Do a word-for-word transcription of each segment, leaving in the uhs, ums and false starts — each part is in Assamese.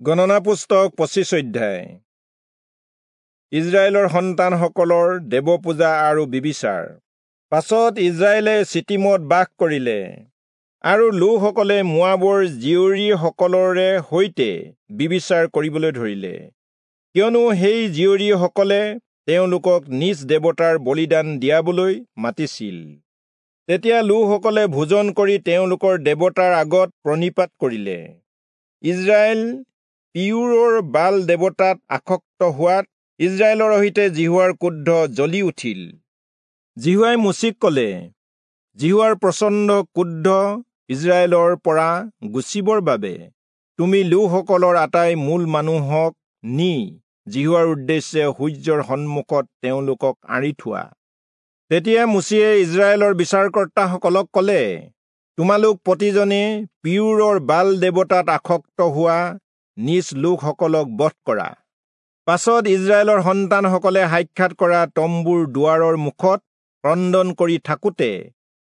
গণনা পুস্তক পঁচিছ অধ্যায়। ইজৰাইলৰ সন্তানসকলৰ দেৱপূজা আৰু বিবিচাৰ। পাছত ইজৰাইলে চিটিমত বাস কৰিলে, আৰু লোকসকলে মোৱাবৰ জীয়ৰীসকলৰে সৈতে বিবিচাৰ কৰিবলৈ ধৰিলে, কিয়নো সেই জীয়ৰীসকলে তেওঁলোকক নিজ দেৱতাৰ বলিদান দিয়াবলৈ মাতিছিল। তেতিয়া লোকসকলে ভোজন কৰি তেওঁলোকৰ দেৱতাৰ আগত প্ৰণিপাত কৰিলে। ইজৰাইল পিয়ুৰৰ বাল দেৱতাত আসক্ত হোৱাত ইজৰাইলৰ সৈতে যিহোৱাৰ ক্ৰোধ জ্বলি উঠিল। যিহোৱাই মোচিক কলে, যিহোৱাৰ প্ৰচণ্ড ক্ৰোধ ইজৰাইলৰ পৰা গুচিবৰ বাবে তুমি লোকসকলৰ আটাই মূল মানুহক নি যিহোৱাৰ উদ্দেশ্যে সূৰ্যৰ সন্মুখত তেওঁলোকক আঁৰি থোৱা। তেতিয়া মোচিয়ে ইজৰাইলৰ বিচাৰকৰ্তাসকলক কলে, তোমালোক প্ৰতিজনে পিয়ুৰৰ বাল দেৱতাত আসক্ত হোৱা নিজ লোকসকলক বধ কৰা। পাছত ইজৰাইলৰ সন্তানসকলে সাক্ষাৎ কৰা তম্বুৰ দুৱাৰৰ মুখত ক্ৰন্দন কৰি থাকোঁতে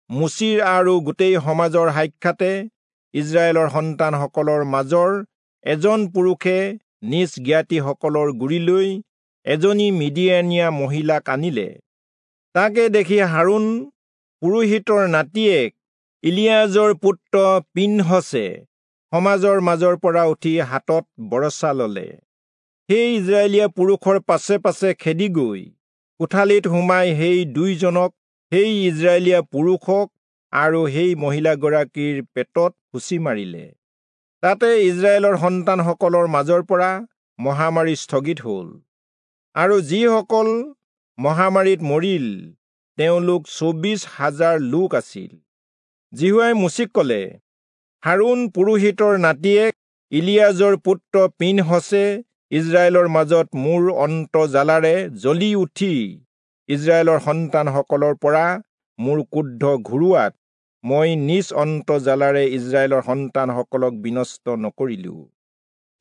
মোচিৰ আৰু গোটেই সমাজৰ সাক্ষাতে ইজৰাইলৰ সন্তানসকলৰ মাজৰ এজন পুৰুষে নিজ জ্ঞাতিসকলৰ গুৰিলৈ এজনী মিদিয়ানীয়া মহিলাক আনিলে। তাকে দেখি হাৰোণ পুৰোহিতৰ নাতিয়েক ইলিয়াজৰ পুত্ৰ পিনহচে সমাজৰ মাজৰ পৰা উঠি হাতত বৰছা ললে। সেই ইজৰাইলীয়া পুৰুষৰ পাছে পাছে খেদি গৈ কোঠালিত সোমাই সেই দুইজনক, সেই ইজৰাইলীয়া পুৰুষক আৰু সেই মহিলাগৰাকীৰ পেটত খুচি মাৰিলে। তাতে ইজৰাইলৰ সন্তানসকলৰ মাজৰ পৰা মহামাৰী স্থগিত হ'ল, আৰু যিসকল মহামাৰীত মৰিল তেওঁলোক চৌবিশ হাজাৰ লোক আছিল। যিহোৱাই মোচিক কলে, হাৰোণ পুৰোহিতৰ নাতিয়েক ইলিয়াজৰ পুত্ৰ পিনহচে ইজৰাইলৰ মাজত মোৰ অন্তৰ্জ্বালাৰে জ্বলি উঠি ইজৰাইলৰ সন্তানসকলৰ পৰা মোৰ ক্ৰোধ ঘূৰোৱাত মই নিজ অন্তৰ্জ্বালাৰে ইজৰাইলৰ সন্তানসকলক বিনষ্ট নকৰিলো।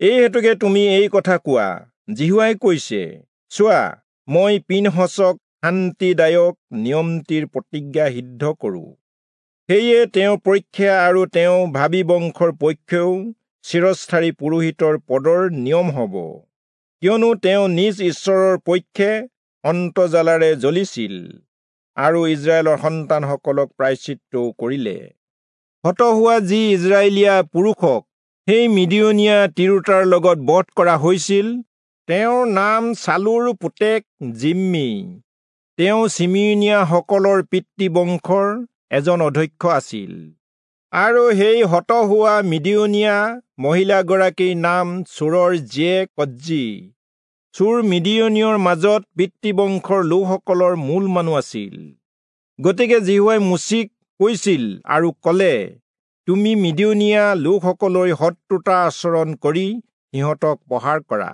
এই হেতুকে তুমি এই কথা কোৱা, যিহোৱাই কৈছে, চোৱা, মই পিনহচক শান্তিদায়ক নিয়মটিৰ প্ৰতিজ্ঞা সিদ্ধ কৰোঁ। সেয়ে তেওঁৰ পক্ষে আৰু তেওঁ ভাবী বংশৰ পক্ষেও চিৰস্থায়ী পুৰোহিতৰ পদৰ নিয়ম হ'ব, কিয়নো তেওঁ নিজ ঈশ্বৰৰ পক্ষে অন্তৰ্জ্বালাৰে জ্বলিছিল আৰু ইজৰাইলৰ সন্তানসকলক প্ৰায়শ্চিত্তও কৰিলে। হত হোৱা যি ইজৰাইলীয়া পুৰুষক সেই মিদিয়নীয়া তিৰোতাৰ লগত বধ কৰা হৈছিল, তেওঁৰ নাম চালুৰ পুতেক জিম্মি। তেওঁ চিমিয়োনীয়াসকলৰ পিতৃবংশৰ এজন অধ্যক্ষ আছিল। আৰু সেই হত হোৱা মিদিয়নীয়া মহিলাগৰাকীৰ নাম চূৰৰ জীয়েক কজ্জি। চূৰ মিদিয়নীয়ৰ মাজত পিতৃবংশৰ লোকসকলৰ মূল মানুহ আছিল। গতিকে যিহোৱাই মোচিক কৈছিল আৰু কলে, তুমি মিদিয়নীয়া লোকসকলৈ শত্ৰুতা আচৰণ কৰি সিহঁতক প্ৰহাৰ কৰা,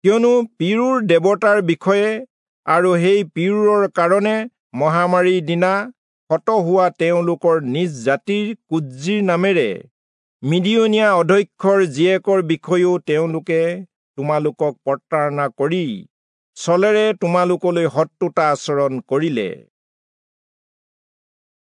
কিয়নো পিয়ুৰ দেৱতাৰ বিষয়ে আৰু সেই পিয়ুৰৰ কাৰণে মহামাৰীৰ দিনা হত হোৱা তেওঁলোকৰ নিজ জাতিৰ কুজ্জিৰ নামেৰে মিদিয়নীয়া অধ্যক্ষৰ জীয়েকৰ বিষয়েও তেওঁলোকে তোমালোকক প্ৰতাৰণা কৰি ছলেৰে তোমালোকলৈ শত্ৰুতা আচৰণ কৰিলে।